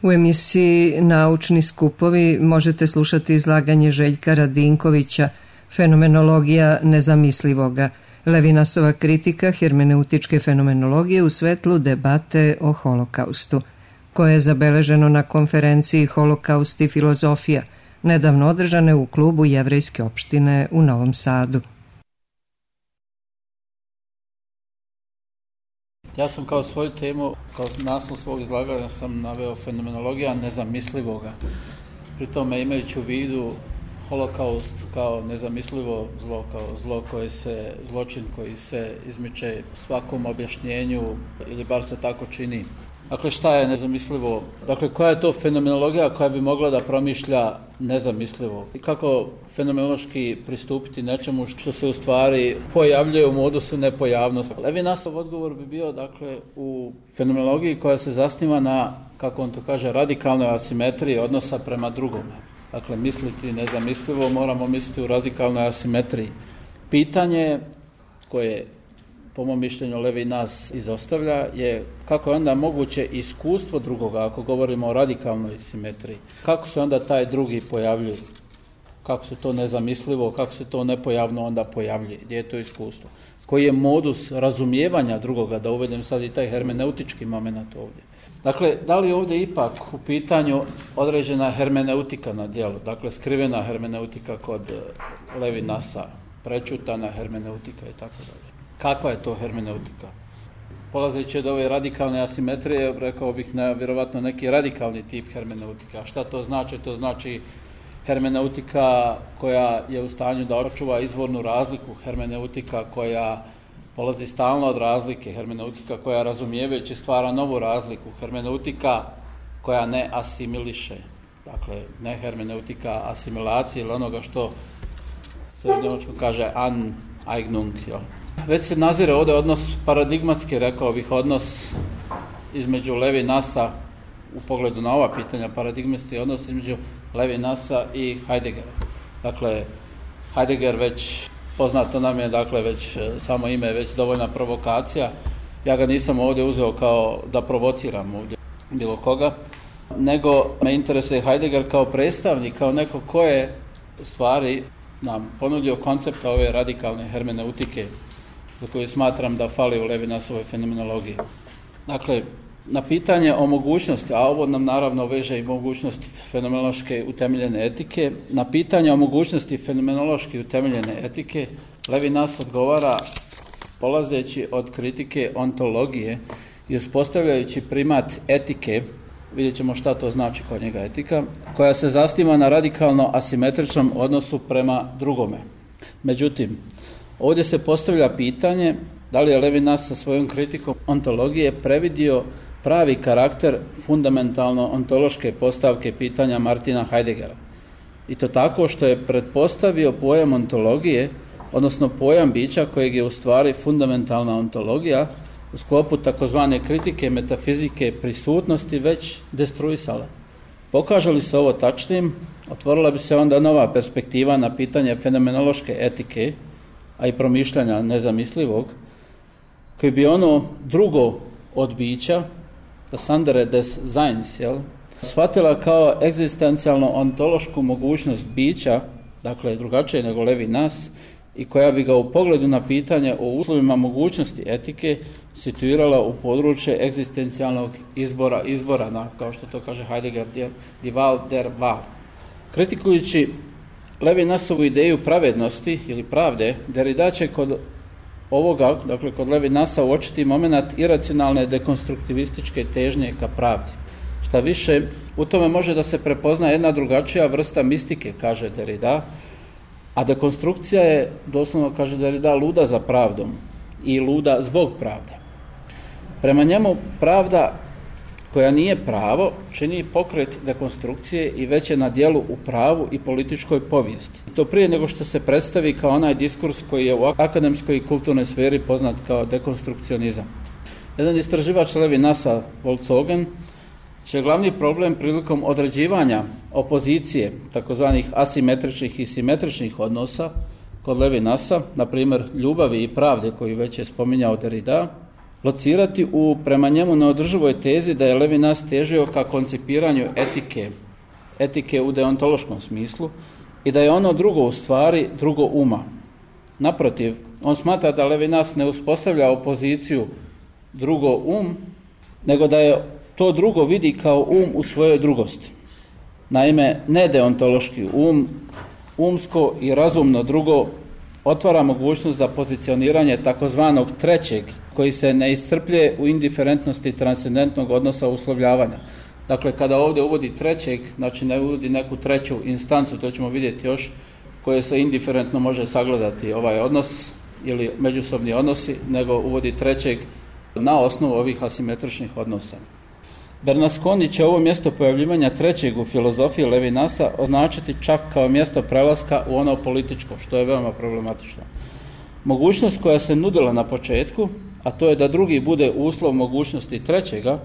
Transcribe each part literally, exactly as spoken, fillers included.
U emisiji Naučni skupovi možete slušati izlaganje Željka Radinkovića Fenomenologija nezamislivoga, Levinasova kritika hermeneutičke fenomenologije u svetlu debate o holokaustu, koje je zabeleženo na konferenciji Holokaust i filozofija, nedavno održane u klubu Jevrejske opštine u Novom Sadu. Ja sam kao svoju temu, kao naslov svog izlaganja sam naveo fenomenologija nezamislivoga. Pri tome imajući u vidu holokaust kao nezamislivo zlo, kao zlo koje se, zločin koji se izmiče svakom objašnjenju ili bar se tako čini. Dakle, šta je nezamislivo? Dakle, koja je to fenomenologija koja bi mogla da promišlja nezamislivo? I kako fenomenološki pristupiti nečemu što se u stvari pojavljuje u modusu nepojavnosti? Levinasov odgovor bi bio, dakle, u fenomenologiji koja se zasniva na, kako on to kaže, radikalnoj asimetriji odnosa prema drugome. Dakle, misliti nezamislivo moramo misliti u radikalnoj asimetriji. Pitanje koje po mom mišljenju Levinas izostavlja je kako je onda moguće iskustvo drugoga, ako govorimo o radikalnoj simetriji. Kako se onda taj drugi pojavljuje? Kako se to nezamislivo, kako se to nepojavno onda pojavljuje? Gdje je to iskustvo? Koji je modus razumijevanja drugoga, da uvedem sad i taj hermeneutički moment ovdje. Dakle, da li ovdje ipak u pitanju određena hermeneutika na djelu, dakle skrivena hermeneutika kod Levinasa, prečutana hermeneutika i tako dalje. Kakva je to hermeneutika? Polazeći od ove radikalne asimetrije, rekao bih na vjerovatno neki radikalni tip hermeneutika. Šta to znači? To znači hermeneutika koja je u stanju da očuva izvornu razliku, hermeneutika koja polazi stalno od razlike, hermeneutika koja razumijevajući stvara novu razliku, hermeneutika koja ne asimiliše. Dakle, ne hermeneutika asimilacije ili onoga što se u njemačkom kaže Aneignung, jel? Već se nazire ovdje odnos paradigmatski, rekao bih, odnos između Levinasa u pogledu na ova pitanja, paradigmatski odnos između Levinasa i Heideggera. Dakle, Heidegger već, poznato nam je, dakle, već samo ime je već dovoljna provokacija. Ja ga nisam ovdje uzeo kao da provociram ovdje bilo koga, nego me interesuje Heidegger kao predstavnik, kao neko ko je u stvari nam ponudio koncept ove radikalne hermeneutike za koju smatram da fali u Levinasovoj fenomenologiji. Dakle, na pitanje o mogućnosti, a ovo nam naravno veže i mogućnost fenomenološke utemeljene etike, na pitanje o mogućnosti fenomenološki utemeljene etike Levinas odgovara polazeći od kritike ontologije i uspostavljajući primat etike, vidjet ćemo šta to znači kod njega etika, koja se zasniva na radikalno asimetričnom odnosu prema drugome. Međutim, ovdje se postavlja pitanje da li je Levinas sa svojom kritikom ontologije previdio pravi karakter fundamentalno ontološke postavke pitanja Martina Heideggera. I to tako što je pretpostavio pojam ontologije, odnosno pojam bića kojeg je u stvari fundamentalna ontologija u sklopu takozvane kritike metafizike prisutnosti već destruisala. Pokaže li se ovo tačnim, otvorila bi se onda nova perspektiva na pitanje fenomenološke etike, a i promišljanja nezamislivog, koji bi ono drugo od bića, das andere des Seins, jel, shvatila kao egzistencijalno ontološku mogućnost bića, dakle drugačije nego Levinas, i koja bi ga u pogledu na pitanje o uslovima mogućnosti etike situirala u područje egzistencijalnog izbora, izbora na, kao što to kaže Heidegger, die Wahl der Wahl. Kritikujući Levinasovu ideju pravednosti ili pravde, Derrida će kod ovoga, dakle kod Levinasa, uočiti moment iracionalne dekonstruktivističke težnje ka pravdi. Šta više, u tome može da se prepozna jedna drugačija vrsta mistike, kaže Derrida, a dekonstrukcija je, doslovno kaže Derrida, luda za pravdom i luda zbog pravde. Prema njemu pravda koja nije pravo čini pokret dekonstrukcije i već je na djelu u pravu i političkoj povijesti. To prije nego što se predstavi kao onaj diskurs koji je u akademskoj i kulturnoj sferi poznat kao dekonstrukcionizam. Jedan istraživač Levinasa, Wolzogen, će glavni problem prilikom određivanja opozicije, takozvanih asimetričnih i simetričnih odnosa kod Levinasa, na primjer ljubavi i pravde koju već je spominjao Derrida, locirati u prema njemu neodrživoj tezi da je Levinas težio ka koncipiranju etike, etike u deontološkom smislu i da je ono drugo u stvari drugo uma. Naprotiv, on smatra da Levinas ne uspostavlja opoziciju drugo um, nego da je to drugo vidi kao um u svojoj drugosti. Naime, nedeontološki um, umsko i razumno drugo otvara mogućnost za pozicioniranje takozvanog trećeg, koji se ne iscrpljuje u indiferentnosti transcendentnog odnosa uslovljavanja. Dakle, kada ovdje uvodi trećeg, znači ne uvodi neku treću instancu, to ćemo vidjeti još, koje se indiferentno može sagledati ovaj odnos ili međusobni odnosi, nego uvodi trećeg na osnovu ovih asimetričnih odnosa. Bernasconi će ovo mjesto pojavljivanja trećeg u filozofiji Levinasa označiti čak kao mjesto prelaska u ono političko, što je veoma problematično. Mogućnost koja se nudila na početku, a to je da drugi bude uslov mogućnosti trećega,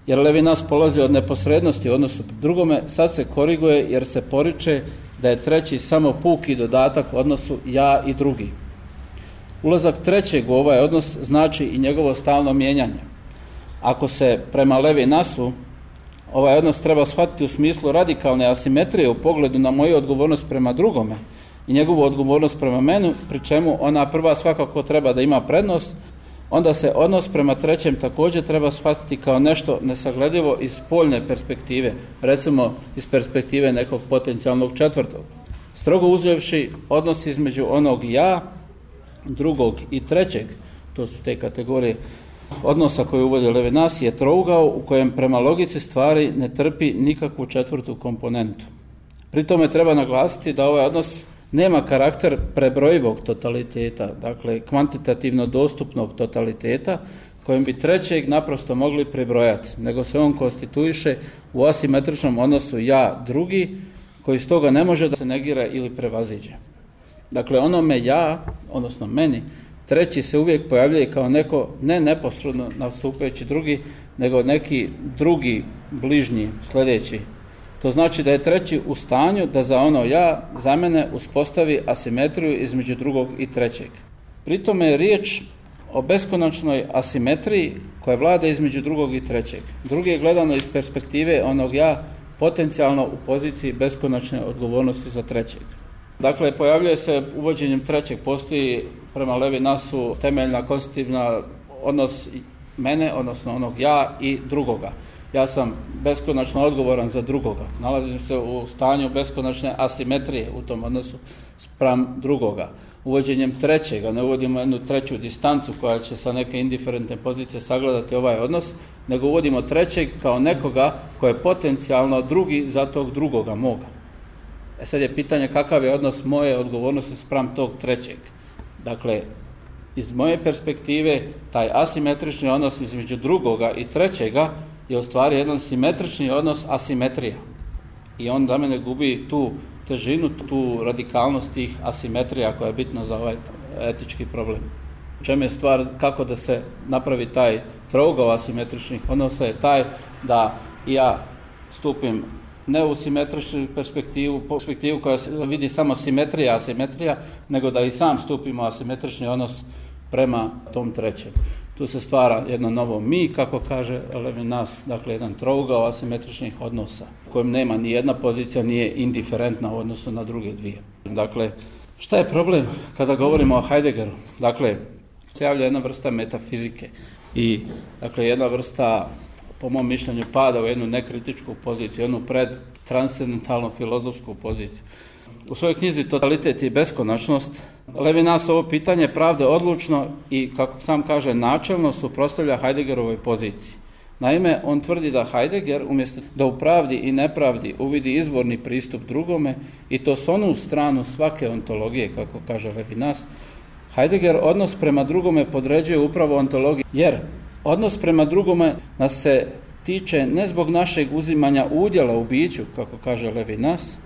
jer Levinas polazi od neposrednosti u odnosu drugome, sad se koriguje jer se poriče da je treći samo puki dodatak odnosu ja i drugi. Ulazak trećeg u ovaj odnos znači i njegovo stalno mijenjanje. Ako se prema Levinasu ovaj odnos treba shvatiti u smislu radikalne asimetrije u pogledu na moju odgovornost prema drugome i njegovu odgovornost prema meni, pri čemu ona prva svakako treba da ima prednost, onda se odnos prema trećem također treba shvatiti kao nešto nesagledivo iz spoljne perspektive, recimo iz perspektive nekog potencijalnog četvrtog. Strogo uzevši odnos između onog ja, drugog i trećeg, to su te kategorije odnosa koje uvodi Levinas, je trougao u kojem prema logici stvari ne trpi nikakvu četvrtu komponentu. Pri tome treba naglasiti da ovaj odnos nema karakter prebrojivog totaliteta, dakle kvantitativno dostupnog totaliteta, kojem bi trećeg naprosto mogli prebrojati, nego se on konstituiše u asimetričnom odnosu ja drugi, koji stoga ne može da se negira ili prevaziđe. Dakle, onome ja, odnosno meni, treći se uvijek pojavljuje kao neko ne neposredno nastupajući drugi, nego neki drugi, bližnji, sljedeći. To znači da je treći u stanju da za ono ja, za mene, uspostavi asimetriju između drugog i trećeg. Pri tome je riječ o beskonačnoj asimetriji koja vlada između drugog i trećeg. Drugi je gledano iz perspektive onog ja potencijalno u poziciji beskonačne odgovornosti za trećeg. Dakle, pojavljuje se uvođenjem trećeg, postoji prema Levinasu temeljna konstitutivna odnos mene, odnosno onog ja i drugoga. Ja sam beskonačno odgovoran za drugoga. Nalazim se u stanju beskonačne asimetrije u tom odnosu spram drugoga. Uvođenjem trećega, ne uvodimo jednu treću distancu koja će sa neke indiferentne pozicije sagledati ovaj odnos, nego uvodimo trećeg kao nekoga koji je potencijalno drugi za tog drugoga moga. E sad je pitanje kakav je odnos moje odgovornosti spram tog trećeg. Dakle, iz moje perspektive, taj asimetrični odnos između drugoga i trećega je u stvari jedan simetrični odnos asimetrija. I on za mene gubi tu težinu, tu radikalnost tih asimetrija koja je bitna za ovaj etički problem. U čemu je stvar kako da se napravi taj trougao asimetričnih odnosa je taj da ja stupim ne u simetričnu perspektivu, perspektivu koja se vidi samo simetrija, asimetrija, nego da i sam stupimo asimetrični odnos prema tom trećem. Tu se stvara jedno novo mi, kako kaže Levinas, dakle jedan trougao asimetričnih odnosa, u kojem nema ni jedna pozicija, nije indiferentna u odnosu na druge dvije. Dakle, šta je problem kada govorimo o Heideggeru? Dakle, se javlja jedna vrsta metafizike i dakle jedna vrsta, po mom mišljenju, pada u jednu nekritičku poziciju, jednu predtranscendentalnu filozofsku poziciju. U svojoj knjizi Totalitet i beskonačnost Levinas ovo pitanje pravde odlučno i, kako sam kaže, načelno suprotstavlja Heideggerovoj poziciji. Naime, on tvrdi da Heidegger, umjesto da u pravdi i nepravdi uvidi izvorni pristup drugome, i to s onu stranu svake ontologije, kako kaže Levinas, Heidegger odnos prema drugome podređuje upravo ontologiji, jer odnos prema drugome nas se tiče ne zbog našeg uzimanja udjela u biću, kako kaže Levinas,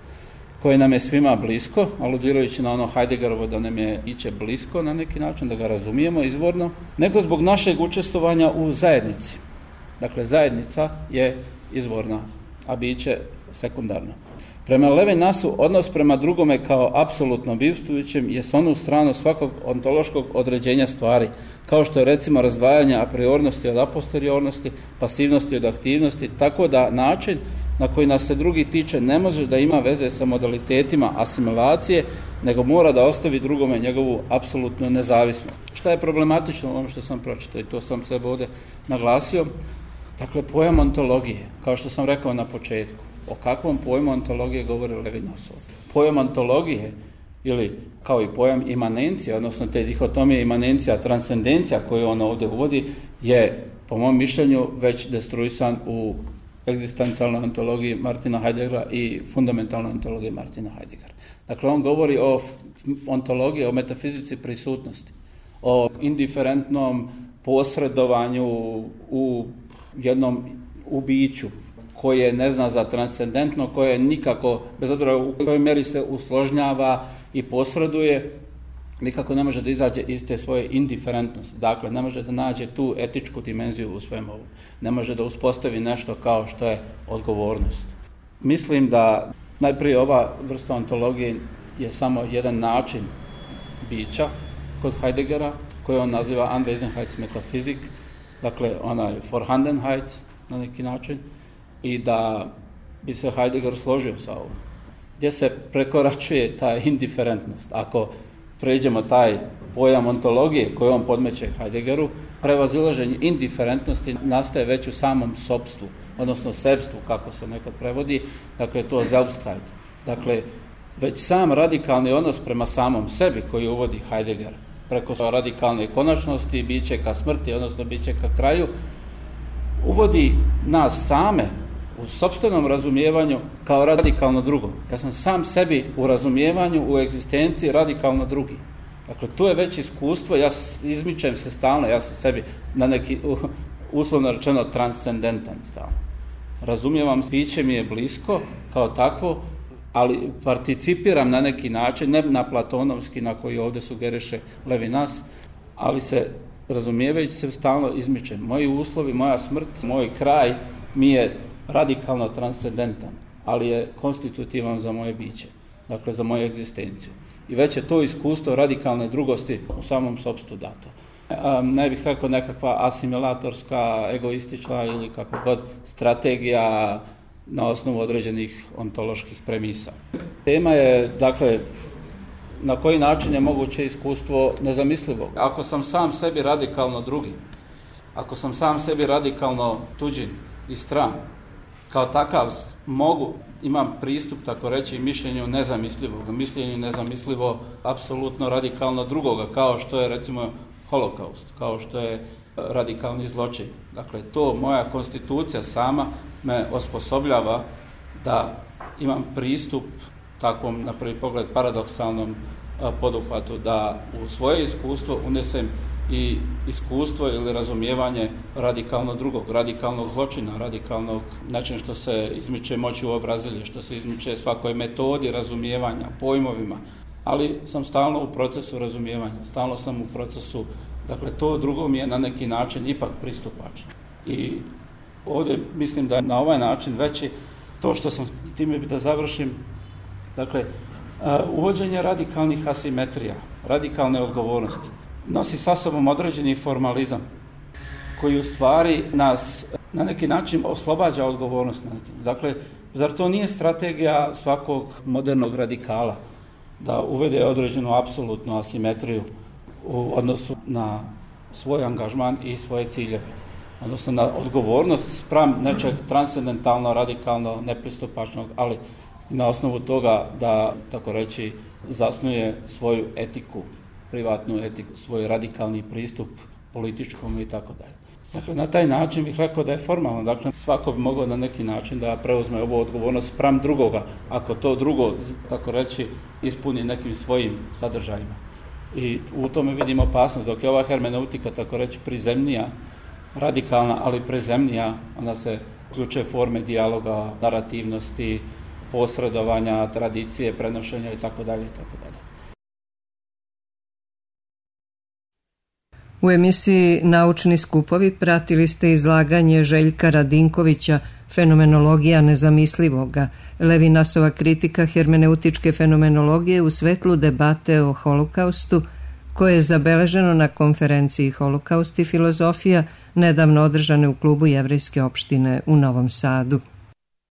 koje nam je svima blisko, aludirajući na ono Heideggerovo da nam je biće blisko na neki način, da ga razumijemo izvorno, nego zbog našeg učestvovanja u zajednici. Dakle, zajednica je izvorna, a biće sekundarno. Prema Levinasu, odnos prema drugome kao apsolutno bivstvujućem je s onu stranu svakog ontološkog određenja stvari, kao što je recimo razdvajanje a priornosti od aposteriornosti, pasivnosti od aktivnosti, tako da način na koji nas se drugi tiče ne može da ima veze sa modalitetima asimilacije, nego mora da ostavi drugome njegovu apsolutnu nezavisnost. Šta je problematično u ovom što sam pročitao i to sam sebe ovdje naglasio? Dakle, pojam ontologije, kao što sam rekao na početku. O kakvom pojmu ontologije govori Levinas? Pojam ontologije, ili kao i pojam imanencija, odnosno te dihotomije imanencija, transcendencija koju on ovdje uvodi, je, po mom mišljenju, već destruisan u egzistencijalnoj ontologiji Martina Heideggera i fundamentalnoj ontologiji Martina Heideggera. Dakle, on govori o ontologiji, o metafizici prisutnosti, o indiferentnom posredovanju u jednom u biću, koje ne zna za transcendentno, koje nikako, bez obzira u kojoj meri se usložnjava i posreduje, nikako ne može da izađe iz te svoje indiferentnosti. Dakle, ne može da nađe tu etičku dimenziju u svemu ovom. Ne može da uspostavi nešto kao što je odgovornost. Mislim da najprije ova vrsta ontologije je samo jedan način bića kod Heideggera, koji on naziva Anwesenheitsmetaphysik, dakle onaj Vorhandenheit na neki način, i da bi se Heidegger složio sa ovom, gdje se prekoračuje ta indiferentnost. Ako pređemo taj pojam ontologije koji on podmeće Heideggeru, prevazilaženje indiferentnosti nastaje već u samom sopstvu, odnosno sebstvu, kako se nekad prevodi, dakle to Selbstheit. Dakle, već sam radikalni odnos prema samom sebi koji uvodi Heidegger, preko radikalne konačnosti, biće ka smrti, odnosno biće ka kraju, uvodi nas same u sopstvenom razumijevanju kao radikalno drugo. Ja sam sam sebi u razumijevanju, u egzistenciji radikalno drugi. Dakle, to je već iskustvo, ja izmičem se stalno, ja sam sebi na neki, uslovno rečeno, transcendentan stalno. Razumijevam, biće mi je blisko kao takvo, ali participiram na neki način, ne na platonovski na koji ovdje sugeriše Levinas, ali se razumijevajući se stalno izmičem. Moji uslovi, moja smrt, moj kraj mi je radikalno transcendentan, ali je konstitutivan za moje biće, dakle za moju egzistenciju. I već je to iskustvo radikalne drugosti u samom sopstvu dato. Ne bih rekao nekakva asimilatorska, egoistična ili kako god strategija na osnovu određenih ontoloških premisa. Tema je, dakle, na koji način je moguće iskustvo nezamislivog. Ako sam sam sebi radikalno drugi, ako sam sam sebi radikalno tuđin i stran, kao takav mogu, imam pristup, tako reći, mišljenju nezamislivog, mišljenju nezamislivo apsolutno radikalno drugoga, kao što je recimo holokaust, kao što je radikalni zločin. Dakle, to moja konstitucija sama me osposobljava da imam pristup takvom, na prvi pogled, paradoksalnom poduhvatu, da u svoje iskustvo unesem i iskustvo ili razumijevanje radikalno drugog, radikalnog zločina, radikalnog način što se izmiče moći u obrazilje, što se izmiče svakoj metodi razumijevanja, pojmovima, ali sam stalno u procesu razumijevanja, stalno sam u procesu, dakle to drugo mi je na neki način ipak pristupačno. I ovdje mislim da je na ovaj način veći to što sam, time da završim, dakle, uvođenje radikalnih asimetrija, radikalne odgovornosti, nosi sa sobom određeni formalizam koji u stvari nas na neki način oslobađa odgovornost. Dakle, zar to nije strategija svakog modernog radikala da uvede određenu apsolutnu asimetriju u odnosu na svoj angažman i svoje ciljeve, odnosno na odgovornost spram nečeg transcendentalno, radikalno, nepristupačnog, ali na osnovu toga da, tako reći, zasnuje svoju etiku, privatnu etiku, svoj radikalni pristup političkom i tako dalje. Dakle, na taj način bih rekao da je formalno, dakle, svako bi mogao na neki način da preuzme ovu odgovornost spram drugoga, ako to drugo, tako reći, ispuni nekim svojim sadržajima. I u tome vidimo opasnost, dok je ova hermeneutika, tako reći, prizemnija, radikalna, ali prizemnija, onda se uključuje forme dijaloga, narativnosti, posredovanja, tradicije, prenošenja i tako dalje i tako dalje. U emisiji Naučni skupovi pratili ste izlaganje Željka Radinkovića Fenomenologija nezamislivoga, Levinasova kritika hermeneutičke fenomenologije u svetlu debate o holokaustu, koje je zabeleženo na konferenciji Holokaust i filozofija nedavno održane u klubu Jevrejske opštine u Novom Sadu.